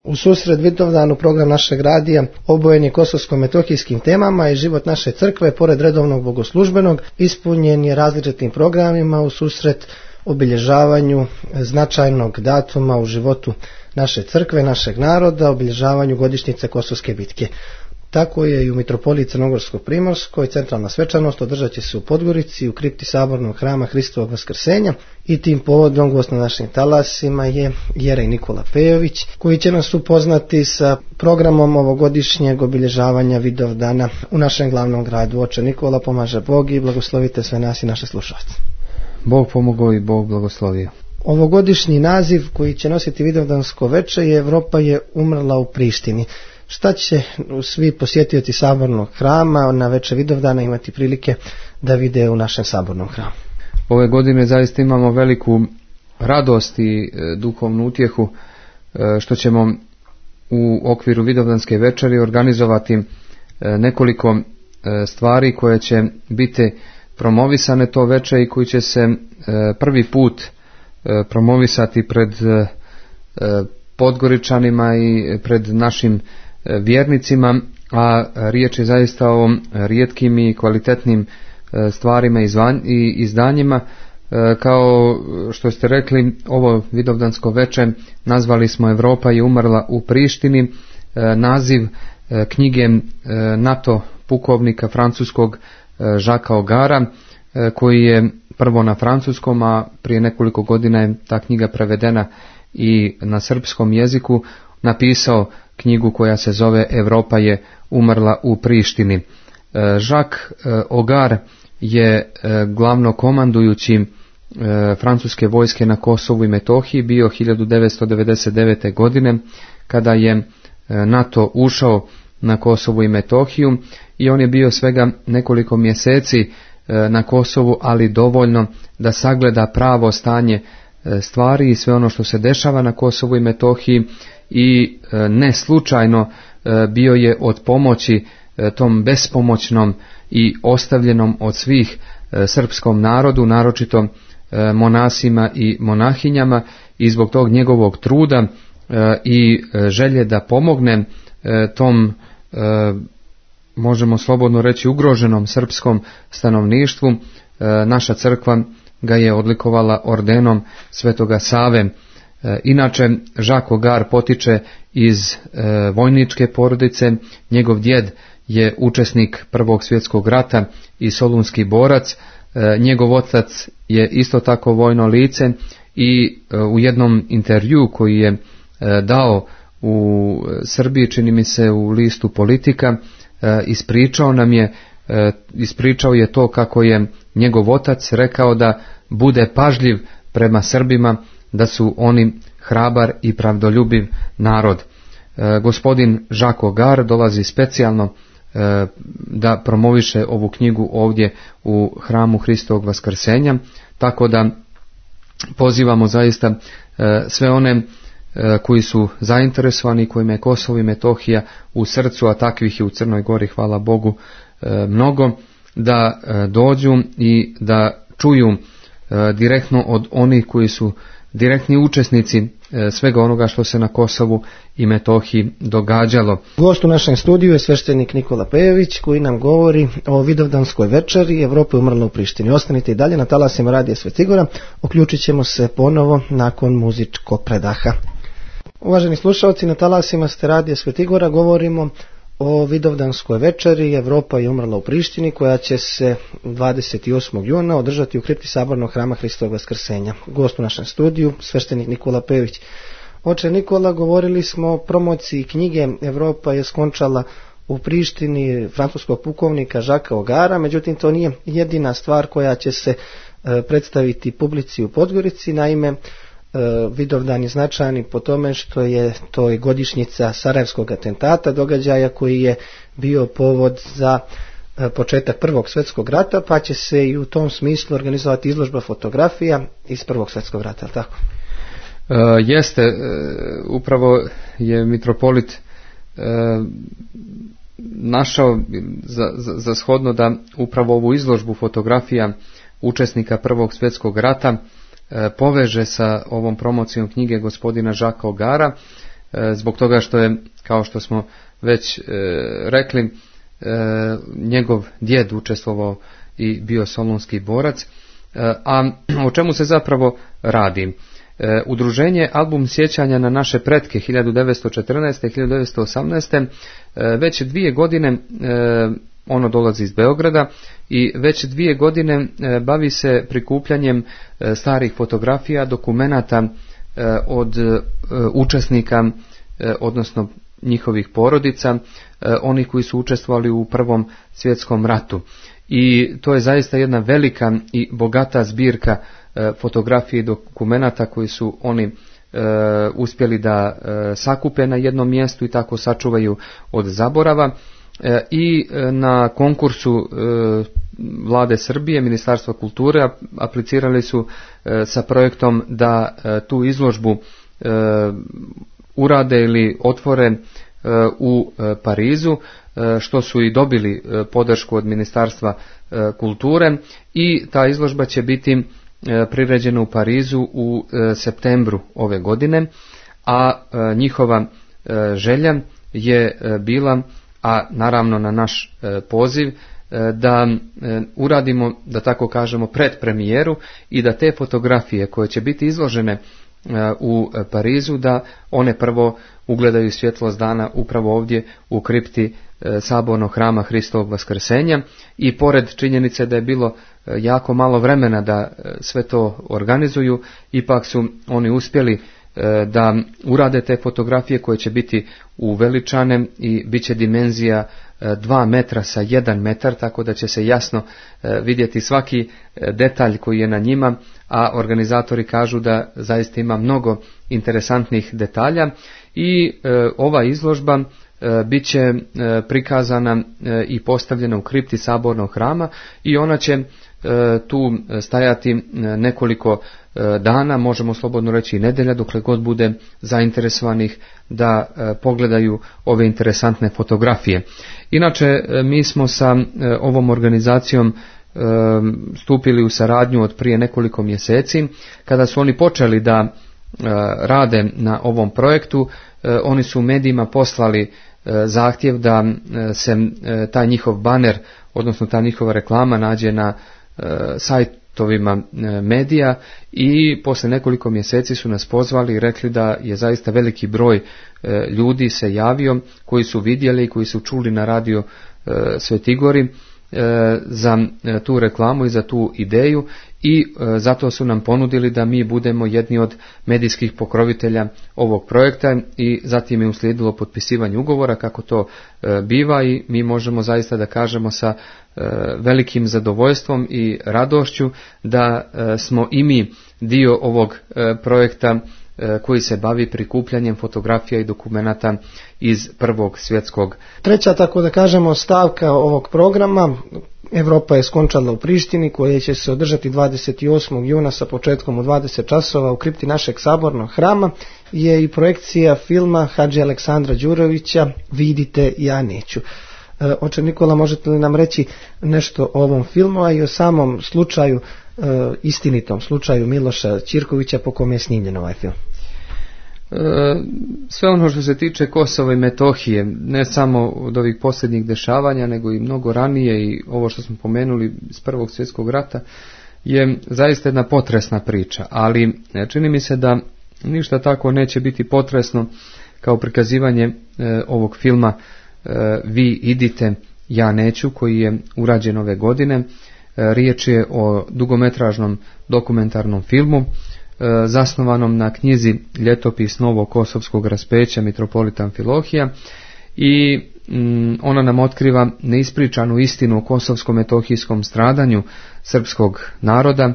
U susret Vidovdanu program našeg radija obojen je kosovsko-metohijskim temama i život naše crkve, pored redovnog bogoslužbenog, ispunjen je različitim programima u susret obilježavanju značajnog datuma u životu naše crkve, našeg naroda, obilježavanju godišnjice Kosovske bitke. Tako je i u mitropoliji Crnogorsko-Primorskoj centralna svečanost održat će se u Podgorici u kripti Sabornog hrama Hristovog Vaskrsenja i tim povodom gost na našim talasima je jerej Nikola Pejović, koji će nas upoznati sa programom ovogodišnjeg obilježavanja Vidovdana u našem glavnom gradu. Oče Nikola, pomaže Bog i blagoslovite sve nas i naše slušalce. Bog pomogao i Bog blagoslovio. Ovogodišnji naziv koji će nositi Vidovdansko veče je Evropa je umrla u Prištini. Šta će svi posjetioci Sabornog hrama na veče Vidovdana imati prilike da vide u našem Sabornom hramu? Ove godine zaista imamo veliku radost i duhovnu utjehu što ćemo u okviru Vidovdanske večeri organizovati nekoliko stvari koje će biti promovisane to veče i koji će se prvi put promovisati pred Podgoričanima i pred našim vjernicima, a riječ je zaista o rijetkim i kvalitetnim stvarima i izdanjima. Kao što ste rekli, ovo Vidovdansko veče nazvali smo Evropa je umrla u Prištini, naziv knjige NATO pukovnika francuskog Jacquesa Ogara, koji je prvo na francuskom, a prije nekoliko godina je ta knjiga prevedena i na srpskom jeziku, napisao knjigu koja se zove Evropa je umrla u Prištini. Jacques Ogar je glavnokomandujući francuske vojske na Kosovu i Metohiji bio 1999. godine kada je NATO ušao na Kosovu i Metohiju i on je bio svega nekoliko mjeseci na Kosovu, ali dovoljno da sagleda pravo stanje stvari i sve ono što se dešava na Kosovu i Metohiji i ne slučajno bio je od pomoći tom bespomoćnom i ostavljenom od svih srpskom narodu, naročito monasima i monahinjama, i zbog tog njegovog truda i želje da pomogne tom, možemo slobodno reći, ugroženom srpskom stanovništvu, naša crkva ga je odlikovala ordenom Svetoga Save. Inače, Jacques Ogar potiče iz vojničke porodice, njegov djed je učesnik Prvog svjetskog rata i solunski borac, njegov otac je isto tako vojno lice i u jednom intervju koji je dao u Srbiji, čini mi se u listu Politika, ispričao je to kako je njegov otac rekao da bude pažljiv prema Srbima, da su oni hrabar i pravdoljubiv narod. Gospodin Jacques Ogar dolazi specijalno da promoviše ovu knjigu ovdje u hramu Hristovog Vaskrsenja, tako da pozivamo zaista sve one koji su zainteresovani, kojima je Kosovo i Metohija u srcu, a takvih je u Crnoj Gori, hvala Bogu, mnogo, da dođu i da čuju direktno od onih koji su direktni učesnici svega onoga što se na Kosovu i Metohiji događalo. Gost u našem studiju je sveštenik Nikola Pejović, koji nam govori o Vidovdanskoj večeri Evropa je umrla u Prištini. Ostanite i dalje na talasima Radija Svetigora, uključit ćemo se ponovo nakon muzičkog predaha. Uvaženi slušalci, na talasima ste Radija Svetigora, govorimo o Vidovdanskoj večeri Evropa je umrla u Prištini, koja će se 28. juna održati u kripti Sabornog hrama Hristovog Vaskrsenja. Gost u našem studiju, sveštenik Nikola Pejović. Oče Nikola, govorili smo o promociji knjige Evropa je skončala u Prištini francuskog pukovnika Jacquesa Ogara, međutim to nije jedina stvar koja će se predstaviti publici u Podgorici. Naime, Vidovdan je značajan po tome što je to i godišnjica Sarajevskog atentata, događaja koji je bio povod za početak Prvog svjetskog rata, pa će se i u tom smislu organizovati izložba fotografija iz Prvog svjetskog rata, tako? Jeste, upravo je mitropolit našao za shodno da upravo ovu izložbu fotografija učesnika Prvog svjetskog rata poveže sa ovom promocijom knjige gospodina Jacquesa Ogara. zbog toga što je, kao što smo već rekli, njegov djed učestvovao i bio solunski borac. A o čemu se zapravo radi? Udruženje Album sjećanja na naše pretke 1914. i 1918. Već 2 godine ono dolazi iz Beograda i već 2 godine bavi se prikupljanjem starih fotografija, dokumenata od učesnika, odnosno njihovih porodica, oni koji su učestvovali u Prvom svjetskom ratu. I to je zaista jedna velika i bogata zbirka fotografije i dokumenata koji su oni uspjeli da sakupe na jednom mjestu i tako sačuvaju od zaborava. I na konkursu Vlade Srbije, Ministarstva kulture, aplicirali su sa projektom da tu izložbu urade ili otvore u Parizu, što su i dobili podršku od Ministarstva kulture, i ta izložba će biti priređena u Parizu u septembru ove godine, a njihova želja je bila, a naravno na naš poziv, da uradimo, da tako kažemo, predpremijeru i da te fotografije koje će biti izložene u Parizu, da one prvo ugledaju svjetlost dana upravo ovdje u kripti Sabornog hrama Hristovog Vaskrsenja. I pored činjenice da je bilo jako malo vremena da sve to organizuju, ipak su oni uspjeli da urade te fotografije koje će biti uveličane i bit će dimenzija 2 metra sa 1 metar, tako da će se jasno vidjeti svaki detalj koji je na njima, a organizatori kažu da zaista ima mnogo interesantnih detalja. I ova izložba bit će prikazana i postavljena u kripti Sabornog hrama i ona će tu stajati nekoliko dana, možemo slobodno reći i nedelja, dokle god bude zainteresovanih da pogledaju ove interesantne fotografije. Inače, mi smo sa ovom organizacijom stupili u saradnju od prije nekoliko mjeseci. Kada su oni počeli da rade na ovom projektu, oni su u medijima poslali zahtjev da se taj njihov baner, odnosno ta njihova reklama nađe na sajtovima medija, i poslije nekoliko mjeseci su nas pozvali i rekli da je zaista veliki broj ljudi se javio koji su vidjeli i koji su čuli na radio Sveti Gori za tu reklamu i za tu ideju, i zato su nam ponudili da mi budemo jedni od medijskih pokrovitelja ovog projekta, i zatim je uslijedilo potpisivanje ugovora kako to biva, i mi možemo zaista da kažemo sa velikim zadovoljstvom i radošću da smo i mi dio ovog projekta koji se bavi prikupljanjem fotografija i dokumenata iz Prvog svjetskog. Treća, tako da kažemo, stavka ovog programa, Europa je skončala u Prištini, koje će se održati 28. juna sa početkom u 20 časova u kripti našeg Sabornog hrama, je i projekcija filma Hadži Aleksandra Đurovića Vidite, ja neću. Oče Nikola, možete li nam reći nešto o ovom filmu, a i o samom slučaju, istinitom slučaju Miloša Ćirkovića po kome je snimljen ovaj film? Sve ono što se tiče Kosova i Metohije, ne samo od ovih posljednjih dešavanja, nego i mnogo ranije, i ovo što smo pomenuli iz Prvog svjetskog rata, je zaista jedna potresna priča, ali čini mi se da ništa tako neće biti potresno kao prikazivanje ovog filma Vi idite, ja neću, koji je urađen ove godine. Riječ je o dugometražnom dokumentarnom filmu zasnovanom na knjizi Ljetopis Novog Kosovskog raspeća mitropolita Amfilohija, i ona nam otkriva neispričanu istinu o kosovsko-metohijskom stradanju srpskog naroda,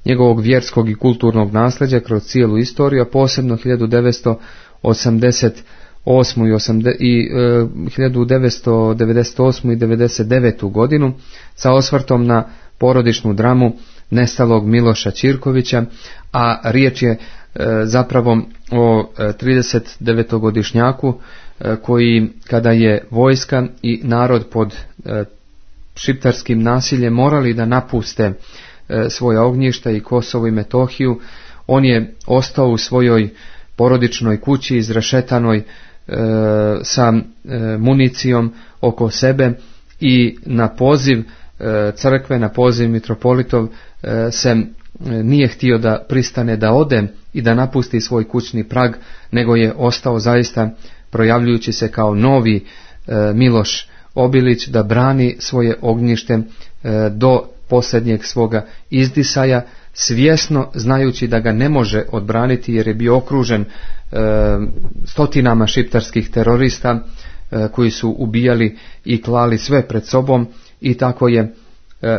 njegovog vjerskog i kulturnog nasljeđa kroz cijelu istoriju, a posebno 1988. i 1998. i 1999. godinu, sa osvrtom na porodičnu dramu nestalog Miloša Ćirkovića, a riječ je zapravo o 39-godišnjaku koji, kada je vojska i narod pod šiptarskim nasiljem morali da napuste svoja ognjišta i Kosovo i Metohiju, on je ostao u svojoj porodičnoj kući izrešetanoj sa municijom oko sebe i na poziv crkve, na poziv mitropolitov se nije htio da pristane da ode i da napusti svoj kućni prag, nego je ostao zaista projavljujući se kao novi Miloš Obilić da brani svoje ognjište do posljednjeg svoga izdisaja, svjesno znajući da ga ne može odbraniti jer je bio okružen stotinama šiptarskih terorista koji su ubijali i klali sve pred sobom, i tako je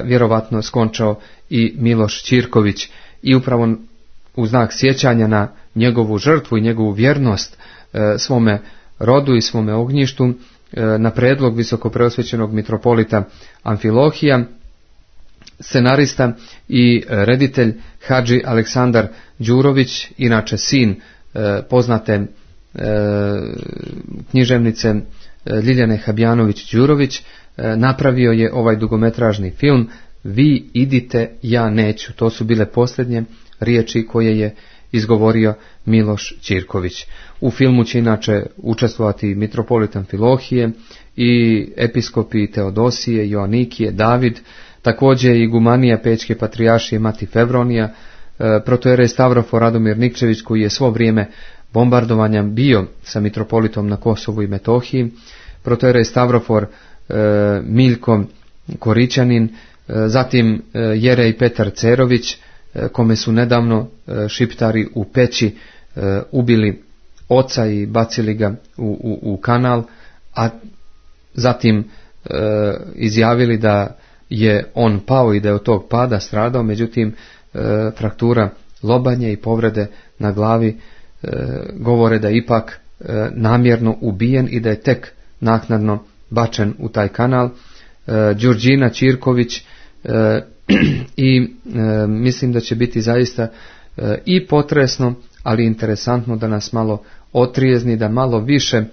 vjerovatno skončao i Miloš Ćirković. I upravo u znak sjećanja na njegovu žrtvu i njegovu vjernost svome rodu i svome ognjištu, na predlog visokopreosvećenog mitropolita Amfilohija, scenarista i reditelj Hadži Aleksandar Đurović, inače sin poznate književnice Ljiljane Habjanović-Đurović, napravio je ovaj dugometražni film Vi idite, ja neću. To su bile posljednje riječi koje je izgovorio Miloš Ćirković. U filmu će inače učestvovati mitropolit Amfilohije i episkopi Teodosije, Joanikije, David, također i gumanija Pećke patrijaršije Mati Fevronija, protojerej Stavrofor Radomir Nikčević koji je svo vrijeme bombardovanja bio sa mitropolitom na Kosovu i Metohiji, protojerej Stavrofor Miljko Korićanin, zatim Jerej Petar Cerović, kome su nedavno šiptari u Peći ubili oca i bacili ga u kanal, a zatim izjavili da je on pao i da je od tog pada stradao, međutim fraktura lobanje i povrede na glavi govore da je ipak namjerno ubijen i da je tek naknadno bačen u taj kanal. Đurđina Ćirković i mislim da će biti zaista i potresno, ali interesantno da nas malo otrijezni, da malo više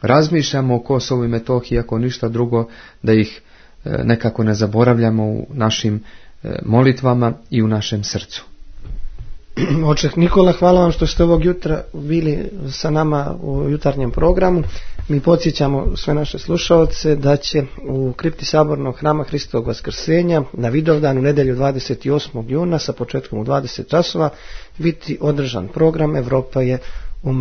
razmišljamo o Kosovu i Metohiji, ako ništa drugo, da ih nekako ne zaboravljamo u našim molitvama i u našem srcu. Očeh Nikola, hvala vam što ste ovog jutra bili sa nama u jutarnjem programu. Mi podsjećamo sve naše slušalce da će u kripti Sabornog hrama Hristovog Vaskrsenja na Vidovdan u nedjelju 28. juna sa početkom u 20 časova biti održan program Evropa je umrla